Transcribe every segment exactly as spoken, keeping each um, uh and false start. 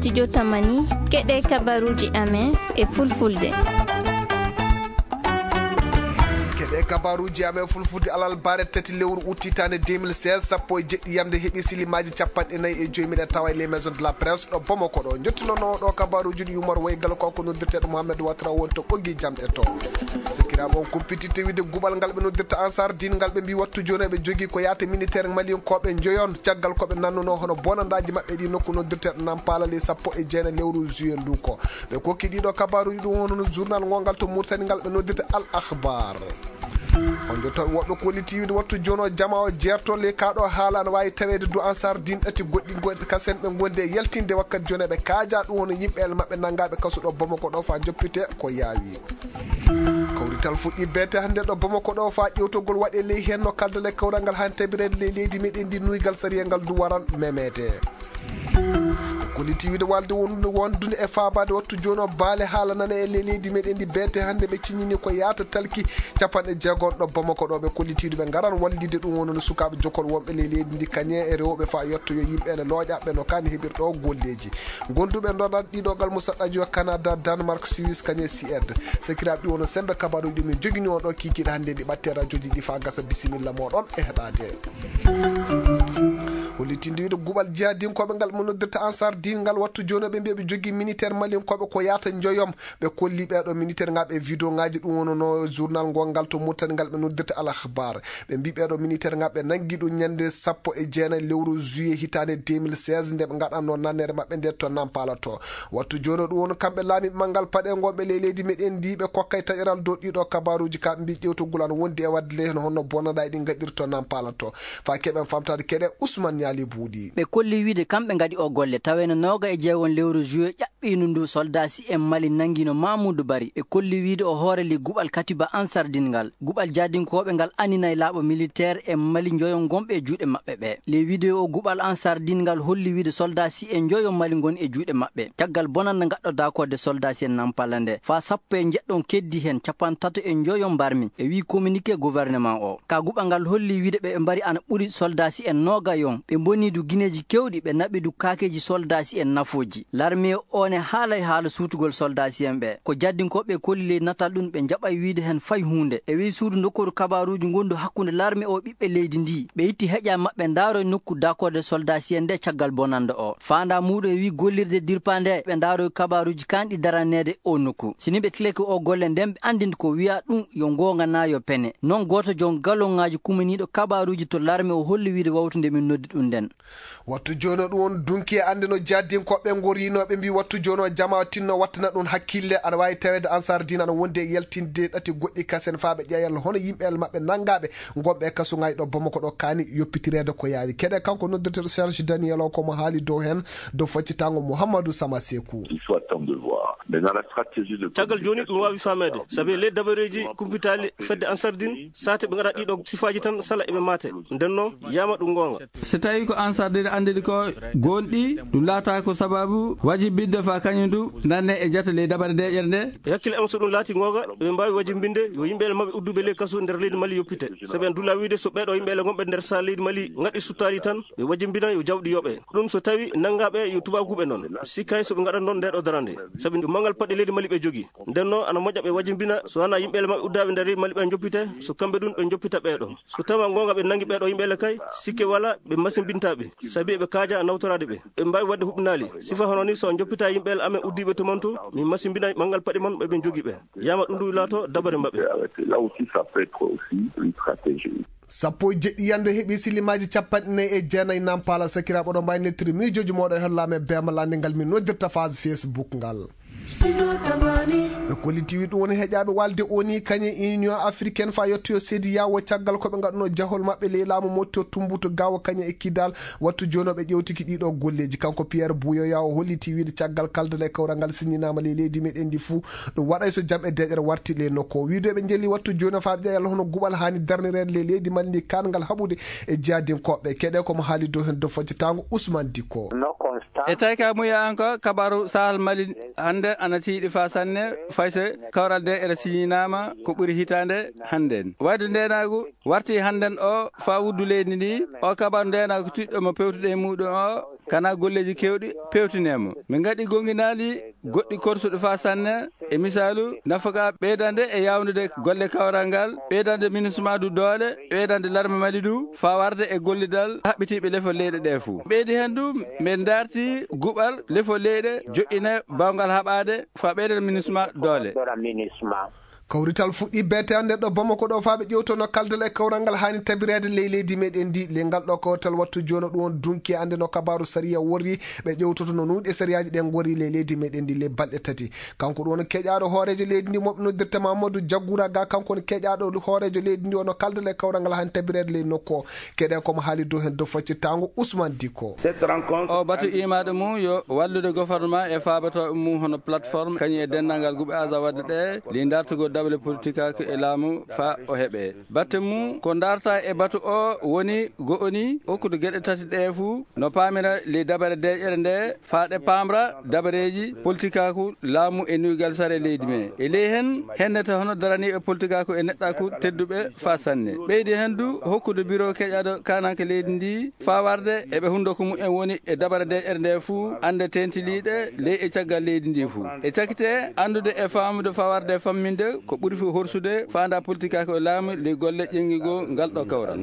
Studio Tamani, keɗe kabaruuji amen e fulfulde. Keɗe kabaruuji amen fulfulde alal bare tati lewru ut hitaande deux mille seize, sappo e jeɗɗi yamde heɓi silimaaji capanɗe nayi e joyi. Miɗen tawa e les maisons de la presse ɗo Bamako ɗo. Jottinoono ɗo kabaruuji ɗi Umar Waygal, ko ko noddirteeɗo Mohamed Watra won to ɓoggi jamɗe to. Sikiraaɓe on kumpiti tewide guɓal ngal ɓe noddirta Ansar Din ngal, ɓe mbi wattu jooni ɓe jogii ko yaata militaire maliyankooɓe njoyon, caggal ko ɓe nannuno hono bonandaaji maɓɓe ɗi nokku noddirteeɗo Nampala ley sappo e jeenayi lewru juillet ndu ko. Ɓe kokki ɗiɗo kabaruuji ɗum hono no journal ngongal to Murtani ngal ɓe noddirta Al Akhbar. On jottooɓe woɓɓe kolliti wiide wattu jooni o jama o jeerto ley kaa ɗo haala ana waawi taweede du Ansar Din ɗati goɗɗi goɗɗi kasen ɓe ngondi e yaltinde wakkati jooni ɓe kaaja ɗum hono yimɓe el maɓɓe nanngaaɓe kasu ɗo Bamako ɗo faa joppite ko yaawi. Kawrital fuɗɗi beete hannde ɗo Bamako ɗo faa ƴewtogol waɗe ley heen no kaldal e kawral ngal haa tabireede ley leydi meɗen ndi nuygal sariya ngal du waran memeede. Kolliti wiide walde wondude wondude e faabaade wattu jooni o baale haala nane e ley leydi meɗen ndi beete hannde ɓe ciññini ko yaata talki capanɗe jeegom ɗo Bamako ɗo ɓe kolliti wiide ɓe ngaran wallide ɗum wonno sukaaɓe jokol wonɓe ley leydi ndi kañe e rewɓe faa yettoyo yimɓe ene looƴa ɓe no kaani heɓirɗo golleeji. Gonduɓe ndonat ɗiɗo gal musaɗɗaji o Canada, Danemark, Suisse, kañe Suède. Sekiraaɓe ɗi wono sembe kabaruji ɗi min jogini on ɗo kiikiiɗe hannde ɗi ɓatte rajoji ɗi faa gasa bisimilla moɗon e heɗaade. Hollitinde wiide guɓal jihadinkooɓe ngal mo noddirta Ansar Din ngal wattu jooni ɓe mbiya ɓe jogii militaire malinkooɓe ko yaata njoyom. Ɓe kolli ɓeeɗo militaire ngaɓe e vidéo ngaji ɗum wonono journal ngol ngal to Murtani ngal ɓe noddirta Al Akhbar. Ɓe mbi ɓeeɗo militaire ngaɓe nangi ɗum ñande sappo e jeenayi lewru juillet hitaande deux mille seize nde ɓe ngaɗanno nannere maɓɓe nde to Nampala to. Wattu jooni ɗum woni kamɓe laamiiɓe manngal paɗe ngonɓe ley leydi meɗen ndi ɓe kokkay taƴoral dow ɗiɗo kabaruuji ka ɓe mbi ƴewtogol ana wondi e waɗde ley heen honno bonnaɗaa ɗi ngaɗirto Nampala to. Faa keɓen famtaade keɗe Ousmane Ñaali Buuɗi. Ɓe kolli wiide kamɓe ngaɗi o golle taweeno nooga e jeegon lewru juillet ɓiyndu ndu soldasi en Mali nangino Mamoudou Bari. Ɓe kolli wiide o hoore li guɓal Katiba Ansar Din ngal. Guɓal jadinkooɓe ngal aninay laaɓo militaire en Mali njoyon gonɓe e juuɗe maɓɓe ɓe. Ley vidéo o guɓal Ansar Din ngal holli wiide soldasi en njoyon Mali ngoni e juuɗe maɓɓe. Caggal bonannde ngaɗɗo daakorde soldasi en Nampala nde. Faa sappo e njeɗɗon keddi heen capantato e njoyon mbarmi. E wii communiqué gouvernement o. Ka guɓal ngal holli wiide ɓe ɓe mbari ana ɓuri soldasi en nooga yon. Ɓe mboni du gineeji kewɗi ɓe naɓi du kaakeeji soldasi en nafooji. Larme o ne haalay haala suutugol soldasiyen ɓe. Ko jaddinkooɓe kolli ley natal ɗum ɓe njaɓay wiide heen fay huunde. E wii suudu ndokkooru kabaaruuji ngondu hakkunde larme o ɓiɓɓe leydi ndi. Ɓe itti heƴa maɓɓe ndaaroy nokku daakorde soldasiyen nde caggal bonannde o. Faanda muuɗum e wii gollirde dirpa nde ɓe ndaaroy kabaaruuji kanɗi daraneede o nokku. Si ni ɓe tilake o golle nden ɓe anndin ko wiya ɗum yo ngoonga naa yo pene. Non gooto jon galonŋaaji kumaniiɗo kabaaruuji to larme o holli wiide wawtu nde min noddi ɗum nden. Wattu jooni o ɗum won dunki e annde no jaddinkooɓe ngoriinooɓe mbi wattu jooni o jama o tinno wattana ɗum hakkille ana waawi taweede Ansar Dine ana wondi e yaltinde ɗati goɗɗi kasen faa ɓe ƴeeyal hono yimɓe el maɓɓe nanngaaɓe ngonɓe e kasuŋaaji ɗo Bamako ɗo kaani yoppitireede ko yaawi. Keɗe kanko noddirteeɗo Serge Daniel o ko mo haali dow heen dow faccitaango Mouhamadou Sama Sekou. Il faut attendre de voir. Maintenant, la stratégie de Caggal jooni ɗum waawi faameede, sabi ley dabareeji kumpitaali fedde Ansar Dine, saate ɓe ngaɗa ɗiɗo sifaaji tan sala eɓe maate. Nden noon, yama ɗum ngoonga. So tawi ko Ansar Dine anndiri ko gonɗi, ɗum laata ko sababu wajibinde fa kañum du nanne e jata ley dabare deƴere nde. E hakkille am, so ɗum laati ngoonga, ɓe mbaawi wajimbinde yo yimɓe ele maɓɓe udduɓe ley kaso nder leydi Mali yoppite. Sabi en dulla wiide so ɓeeɗo yimɓe ele ngonɓe nder sahel leydi Mali ngaɗi suttaali tan, ɓe wajimbina yo jawɗi yoɓe. Ɗum so tawi nanngaaɓe yo tubaakuuɓe noon. Sikkay so ɓe ngaɗa noon ndeeɗo darande. Sabi ɗum manngal paɗɗe leydi Mali ɓe jogi. Nden noon ana moƴƴa ɓe wajimbina so wanaa yimɓe ele maɓɓe uddaaɓe nder leydi Mali ɓe njoppite, so kamɓe ɗum ɓe njoppita ɓeeɗo. So tawa ngoonga ɓe nanngi ɓeeɗo yimɓe ele kay, sikke wala ɓe masimbinta ɓe. Sabi eɓe kaaja nawtoraade ɓe. Ɓe mbaawi waɗde huɓɓinaali. Sifa hono ni so on njoppita yimɓe ele amen uddiiɓe to mon to, min masimbina manngal paɗe mon ɓe ɓe jogi ɓe. Yama ɗum ɗum laato dabare maɓɓe. Là aussi, ça peut être aussi une stratégie. Sappo e jeɗɗi yande heɓi silimaaji capanɗe nayi e jeenayi Nampala. Sakiraaɓe oɗon mbaawi nettiri miijooji mooɗon e hollaame beema lannde ngal min noddirta phase Facebook ngal. Ɓe kolliti wi ɗum woni heƴaaɓe walde o ni kañe Union Africaine faa yettoyo seedi yawo caggal ko ɓe ngaɗuno jahol maɓɓe ley laamu motto tumbuto gawo kañe e kidal. Wattu jooni o ɓe ƴewtiki ɗiɗo golleeji. Kanko Pierre Buyoya o holliti wiide caggal kaldal e kawral ngal siññinaama ley leydi meɗen ndi fuu, ɗum waɗay so jam e deeƴere warti ley nokku o. Wiide ɓe njelli wattu jooni o faa ɓe ƴeewa yalla hono guɓal haani darnireede ley leydi Mali ndi kaangal haɓude e jihadinkooɓe. Keɗe ko mo haali dow heen dow fojjataango Ousmane Dicko. E tawi ka muya an ko kabaru Sahel Mali hannde ana tiiɗi faa sanne, fay so kawral deeƴere siññinaama ko ɓuri hitaande hannde. Wayde ndeenaagu warti hannden o faa wuddu leydi ndi, o kabaru ndeenaagu tiɗɗo mo pewtuɗe e muuɗum o, Kana golleeji keewɗi pewtinee mo. Min ngaɗi goŋginaali goɗɗi korsuɗi faa sanne, e misaalu, nafaka ɓeydande e yaawnude golle kawral ngal, ɓeydande MINUSMA du doole, ɓeydande larme Mali du, faa warde e gollidal haɓɓitiiɓe lefol leyɗe ɗee fuu. Ɓeydi heen du, min ndarti guɓal lefol leyɗe joƴƴine baawngal haɓaade faa ɓeydande MINUSMA doole. Kawrital fuɗɗi beete hannde ɗo Bamako ɗo, faa ɓe ƴewtono kaldal e kawral ngal haani tabireede ley leydi meɗen ndi. Ley ngal ɗo kawrital wattu jooni ɗum on dunki hannde no kabaaru sariya worri, ɓe ƴewtoto no nuuɗe sariyaaji ɗen ngorri ley leydi meɗen ndi ley balɗe tati. Kanko ɗum on keƴaaɗo hooreejo leydi ndi, mo ɓe noddirta Mamadou Diagoura Ga, kanko on keƴaaɗo hooreejo leydi ndi, ono kaldal e kawral ngal haani tabireede ley nokku o. Keɗe ko mo haali dow heen dow faccitaango Ousmane Dicko. O batu imaade mum yo wallude gouvernement e faabatooɓe mum hono plateforme, kañum e denndaangal guɓe Azawad ɗe, ley ndartugol dawle politikaaku e laamu faa o heɓe. Batte mum ko ndarta e batu o woni go'oni okkude geɗe tati ɗe fuu no paamira ley dabare deeƴere nde faa ɗe paamra dabareeji politikaaku, laamu e nuygal sare leydi me. E ley heen hennete hono daraniiɓe politikaaku e neɗɗaaku tedduɓe faa sanne. Ɓeydi heen du hokkude biro keƴaaɗo kaananke leydi ndi faa warde e ɓe hunndoko mumen woni e dabare deeƴere nde fuu, annde teentiliiɗe ley e caggal leydi ndi fuu. E cakite anndude e faamude faa warde e famminde ko ɓuri fof horsude faandaa politikaaku e laamu ley golle ƴeŋngigol ngal ɗo kawral.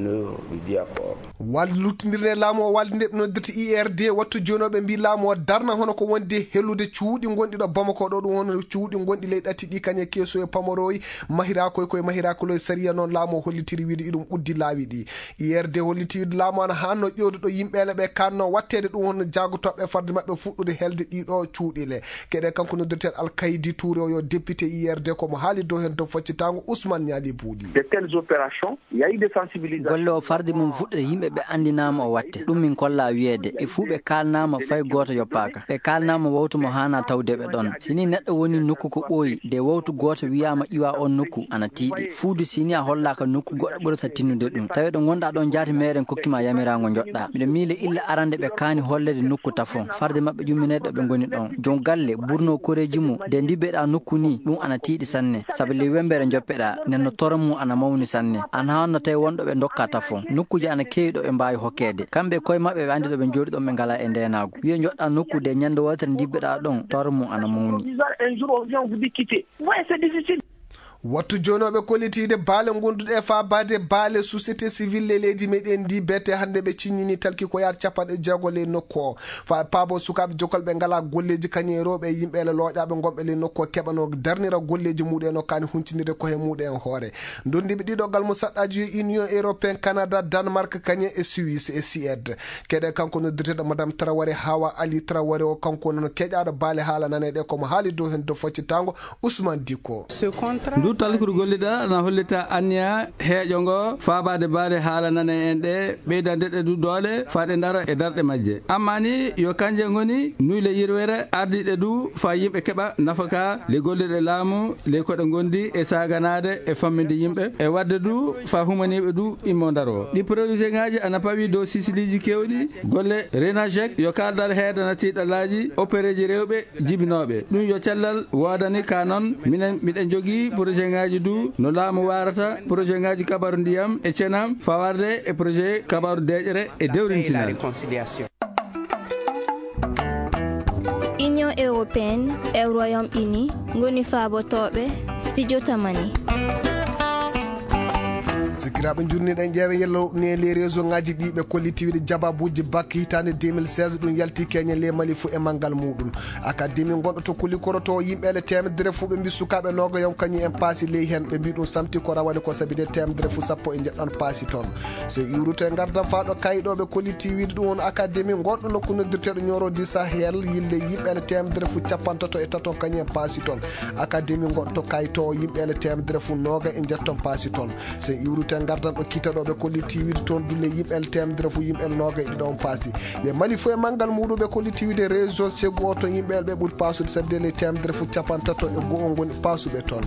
Wallutindirde laamu o walde nde ɓe noddirta I R D, wattu jooni o ɓe mbii laamu o darna hono ko wondi e helude cuuɗi ngonɗi ɗo Bamako ɗo, ɗum hono cuuɗi ngonɗi ley ɗati ɗi kañe keeso e pamoroy, mahiraakoy koye mahiraakuloy sariya noon laamu o hollitiri wiide iɗum uddi laawi ɗi. I R D holliti wiide laamu ana haanno ƴeewde ɗo yimɓe ele ɓe kaanno watteede ɗum hono jaagotooɓe farde maɓɓe fuɗɗude helde ɗiɗo cuuɗi le. Keɗe kanko noddirteeɗo Alkaydi Tuure o yo député I R D ko mo haali dow heen dow faccitaango Ousmane Ñaali Buuɗi. De telles opérations, il y a eu des sensibilisations. Golle o farde mum fuɗɗude yimɓe ɓe anndinaama o watte. Ɗum min kolla wiyeede. Ɓe fuu ɓe kaalnaama fay gooto yoppaaka. Ɓe kaalnaama wawtu mo haana tawde ɓe ɗon. Si ni neɗɗo woni nokku ko ɓooyi, de wawtu gooto wiyaama iwa on nokku, ana tiiɗi. Fuudu si ni a hollaaka nokku goɗɗo ɓurata tinnude ɗum. Tawi ɗo ngonɗaa ɗon jaati meeren kokki ma yamiraango njoɗɗaa. Miɗo miile illa arande ɓe kaani holleede nokku tafon. Farde maɓɓe ƴummineede ɗo ɓe ngoni ɗon. Jom galle, burno koreeji mum, de ndibbeɗaa nokku ni, ɗum ana tiiɗi sanne. Sabi ley wemmbere njoppeɗaa, nden no toro mum ana mawni sanne. Ana haanno tawi won ɗo ɓe ndokka tafon. Nokkuuji ana keewi ɗo ɓe mbaawi hokkeede. Kamɓe koye maɓɓe ɓe anndi ɗo ɓe njooɗi ɗon ɓe ngalaa e ndeenaagu. Wiye njoɗɗaa nokku de ñande wootere ndibbeɗaa ɗon, toro mum ana mawni. Disant un jour on vient, on vous dit quitter. Ouais, c'est difficile. Wattu jooni o ɓe kollitiide baale gonduɗe e faabaade baale société civile e leydi meɗen ndi beete hannde ɓe ciññini talki ko yaata capanɗe jeego ley nokku o. Fa paabo sukaaɓe jokol ɓe ngalaa golleeji kañum e rewɓe e yimɓe ele looƴaaɓe ngonɓe ley nokku o keɓanoo darnira golleeji muɗum en o kaani huncinirde ko he muɗum en hoore. Ndonndiiɓe ɗiɗo galmo saɗɗaaji yo Union Européen, Canada, Danemark, kañum e Suisse e Suède. Keɗe kanko noddirteeɗo Madame Traoré, Hawa Ali Traoré o, kanko noon keƴaaɗo baale haala naneeɗe ko mo haali dow heen dow faccitaango Ousmane Dicko. Ndu talkuru gollida na hollita anniya heeƴo ngo faabaade baale haala nane en ɗe, ɓeydande ɗe du doole faa ɗe ndara e darɗe majje. Amma ni yo kanje ngoni nuyle yirwere ardiiɗe du faa yimɓe keɓa nafaka le golliɗe laamu le koɗe ngondi e saaganaade e famminde yimɓe e wadde du faa humaniiɓe du immo ndaro. Ɗi projet ngaaji ana pawi dow sisiliiji kewɗi. Golle Renajec yo kaaldal heedana tiiɗalaaji opereeji rewɓe jibinooɓe. Ɗum yo cellal woodani ka noon. Minen miɗen jogii projet ngaaji du no laamu waarata projet ngaaji kabaru ndiyam e cenam fawarde e projet kabaru deeƴere e dewrintinal. Union européenne e Royaume-Uni ngoni faabotooɓe studio Tamani. Sikiraaɓe njurniiɗen ƴeewe yello ne les réseau ngaji ɗi ɓe kolliti wiide jababuuji bac hitaande deux mille seize ɗum yalti keñe le Mali fuu e manngal muɗum. Akademi gonɗo to Kulikoro to yimɓe ele temedere fuu ɓe mbi sukaaɓe noogayom kañum en paasi ley heen ɓe mbi ɗum samti ko rawani ko sabi de temedere fuu sappo e njeɗɗon paasi toon. So iwrute ngardam faa ɗo kayɗo ɓe kolliti wiide ɗum on akademi gonɗo nokku noddirteeɗo Nioro du Sahel yille yimɓe ele temedere fuu capantato e tato kañum en paasi toon. Akademi gonɗo to kayto yimɓe ele temedere fuu nooga e njeɗɗon paasi toon. So iwrute ngardan ɗo kiita ɗo ɓe kolliti wiide toon dulle yimɓe ele temedere fuu yimɓe ele nooga e ɗiɗo on paasi. Le Mali fuu e manngal muɗum ɓe kolliti wiide région Ségou o to yimɓe ele ɓe ɓuri paasude sabi de le temedere fuu capantato e go'o ngoni paasuɓe toon.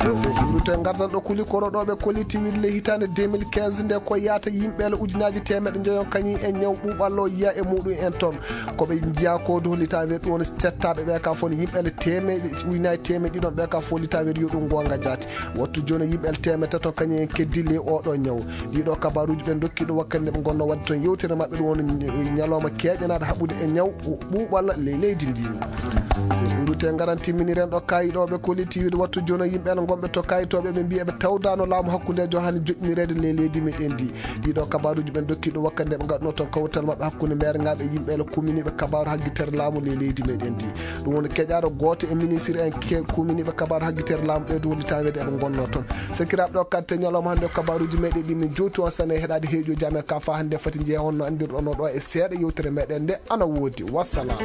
Sey ɗum rute ngardan ɗo kuli koro ɗo ɓe kolliti wiide le hitaande deux mille quinze nde ko yaata yimɓe le ujunaaji teemeɗe njoyon kañum en ñaw ɓuuɓal o yiya e muɗum en toon. Ko ɓe njiya ko dow litaweer ɗum woni settaaɓe ɓe ka fof ne yimɓe le teemeɗe ujunaaji teemeɗe ɗiɗon ɓe ka fof litaweer yo ɗum goonga jaati. Wattu jooni yimɓe le teemeɗe tato kañum en keddi le oɗo ñaw. Ɗiɗo kabaruuji ɓe ndokki ɗum wakkati nde ɓe ngonno waɗde toon yewtere maɓɓe ɗum woni ñalawma keeƴanaaɗo haɓude e ñaw ɓuuɓal le leydi ndi. Sey ɗum rute ngaran timminiren ɗo kayi ɗo ɓe kolliti wiide wattu jooni yimɓe le gonɓe to kayitooɓe ɓe mbiya ɓe tawdano laamu hakkundejo hani joɗɗinireede le leydi meɗen ndi. Ɗiɗo kabaruuji ɓen dokki ɗum wakkati nde ɓe ngaɗno toon kawtal maɓɓe hakkunde meere ngaɓe yimɓe le kuminiɓe kabaru haggitere laamu le leydi meɗen ndi. Ɗum woni keƴaɗo gooto e ministre en ke kuminiɓe kabaru haggitere laamu ɓe duwoli tan weede eɓe ngonno toon. Sakiraaɓe ɗo kadi te ñalawma hannde o kabaruuji meɗen ɗi min jowti on sane heɗade heeƴo jame ka fa hannde fati jeeya honno anndirɗon o ɗo e seeɗa yewtere meɗen nde ana woodi. Wassalam.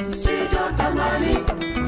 Sijo Tamani.